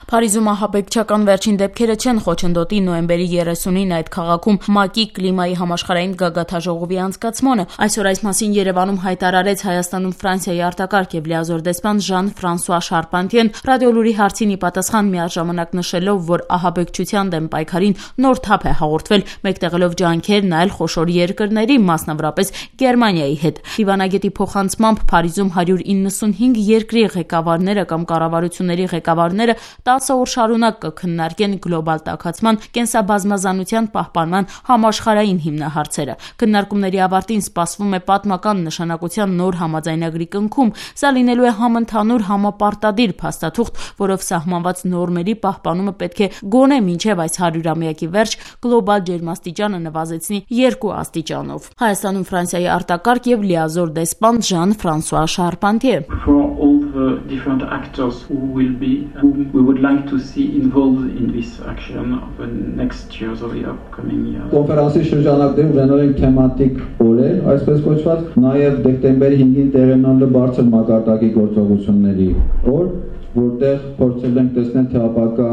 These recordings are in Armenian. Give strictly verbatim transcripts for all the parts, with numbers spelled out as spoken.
Փարիզում ահաբեկչական վերջին դեպքերը չեն խոչընդոտի նոյեմբերի երեսունին այդ քաղաքում ՄԱԿ-ի կլիմայի համաշխարհային գագաթնաժողովի անցկացմանը։ Այսօր այս մասին Երևանում հայտարարեց Հայաստանում Ֆրանսիայի արտակարգ եւ լիազոր դեսպան Ժան-Ֆրանսուଆ Շարպանտիեն, Ռադիոլուրի հարցին ի պատասխան միաժամանակ նշելով, որ ահաբեկչության դեմ պայքարին նոր թափ է հաղորդվել, մեկտեղելով ջանքեր նայել խոշոր երկրների, մասնավորապես Գերմանիայի հետ։ Դիվանագետի փոխանցմամբ Փարիզում հարյուր իննսունհինգ երկրի ղեկավարները կամ կառավարությունների ղեկավարները տասը օր շարունակ կքննարկեն գլոբալ տաքացման, կենսաբազմազանության պահպանման համաշխարհային հիմնահարցերը։ Քննարկումների ավարտին սպասվում է պատմական նշանակության նոր համաձայնագրի կնքում։ Սա լինելու է համընդհանուր համապարտադիր փաստաթուղթ, որով սահմանված նորմերի պահպանումը պետք է գոնե մինչև այս հարյուրամյակի վերջ գլոբալ ջերմաստիճանը նվազեցնի երկու աստիճանով։ Հայաստանում Ֆրանսիայի արտակարգ եւ լիազոր դեսպան Ժան-Ֆրանսուଆ Շարպանտիե. Different actors who will be who we would like to see involved in this action of the next years or the upcoming years. Կոնֆերանսի շրջանակներում ունենալ են թեմատիկ օրեր, այսպես կոչված, նաև դեկտեմբերի հինգին տեղի ունենալու բարձր մակարդակի գործողությունների օր, որտեղ փորձել ենք տեսնել թե ապակա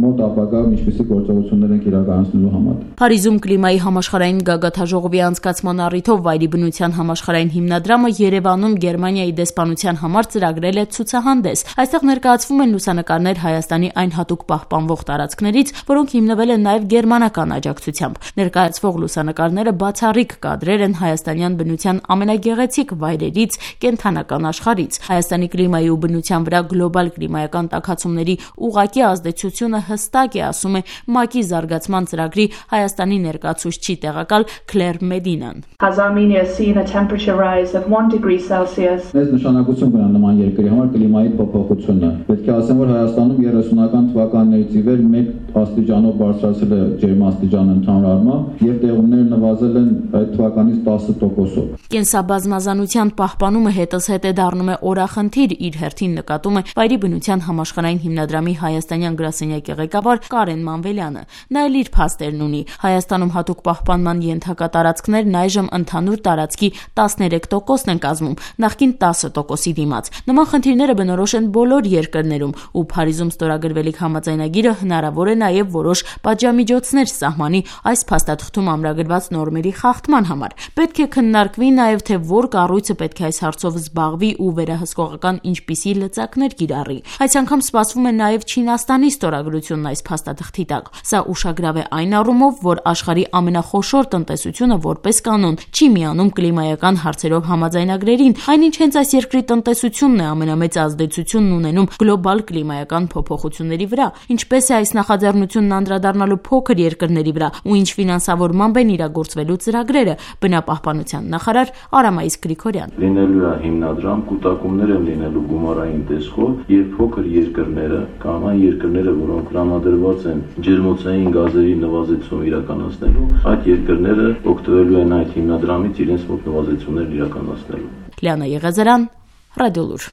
մոտ ապակա ինչպիսի գործողություններ են իրականացնելու համար։ Փարիզում կլիմայի համաշխարհային գագաթնաժողովի անցկացման առիթով վայրի բնության համաշխարհային հիմնադրամը Երևանում Գերմանիայի դեսպանության համար ծրագրել է ցուցահանդես։ Այստեղ ներկայացվում են լուսանկարներ Հայաստանի այն հատուկ պահպանվող տարածքներից, որոնք հիմնվել են նաև գերմանական աջակցությամբ։ Ներկայացվող լուսանկարները բացառիկ կադրեր են հայաստանյան բնության ամենագեղեցիկ վայրերից, կենդանական աշխարհից։ Հայաստանի կլիմայի ու բնության վրա գլոբալ կլիմայական տաքացումների ուղղակի ազդեցությունը հստակ է, ասում է ՄԱԿ-ի զարգացման ծրագրի Հայաստանի ներկայացուցիչ տեղակալ Քլեր Մեդինան. Has Armenia seen a temperature rise of one degree Celsius? Մեծ նշանակություն կունենա նման երկրի համար կլիմայի փոփոխությունը։ Պետք է ասեմ, որ Հայաստանում երեսունական թվականներից ի վեր մեկ աստիճանով բարձրացել է ջերմաստիճանը ընդհանուր առմամբ եւ տեղումները նվազել են այդ թվականից տասը տոկոսով։ Կենսաբազմազանության պահպանումը հետզհետե դառնում է օրախնդիր, իր հերթին նկատում է վայրի բնության համաշխարհային հիմնադրամի հայաստանյան գրասենյակի ղեկավար Կարեն Մանվելյանը։ Նա էլ իր փաստերն ունի։ Հայաստանում հատուկ պահպանման ենթակա տարածքներն այժմ ընդհանուր տարածքի տասներեք տոկոսն են կազմում, նախկին տասը տոկոսի դիմաց։ Նման խնդիրները բնորոշ են բոլոր երկրներում, ու Փարիզում ստորագրվելիք համաձայնագիրը հնարավոր է նաև որոշ պատժամիջոցներ սահմանի այս փաստաթղթում ամրագրված նորմերի խախտման համար։ Պետք է քննարկվի նաև թե որ կառույցը պետք է այս հարցով զբաղվի ու վերահսկողական ինչպիսի լծակներ կիրառի։ Այս անգամ սպասվում է նաև Չինաստանի ստորագրությունն այս փաստաթղթի տակ։ Սա ուշագրավ է այն առումով, որ աշխարհի ամենախոշոր տնտեսությունը որպես կանոն չի միանում կլիմայական հարցերով համաձայնագրերին, այնինչ հենց այս երկրի տնտեսությունն է ամենամեծ ազդեցությունն ունենում գլոբալ կլիմայական փոփոխությունների վրա։ Ինչպես է այս նախաձեռնությունն անդրադառնալու փոքր երկրների վրա ու ինչ ֆինանսավորմամբ են իրագործվելու ծրագրերը, բնապահպանության նախարար Արամայիս Գրիգորյան. Լինելու է հիմնադրամ, կուտակումներ են լինելու գումարային տեսքով եւ փոքր երկրները կամ այն երկրները, որոնք տրամադրված են ջերմոցային գազերի նվազեցում իրականացնելու, այդ երկրները օգտվելու են այդ հիմնադրամից իրենց մոտ նվազեցումներ իրականացնելու։ Լիանա Եղեզարյան, Ռադիոլուր։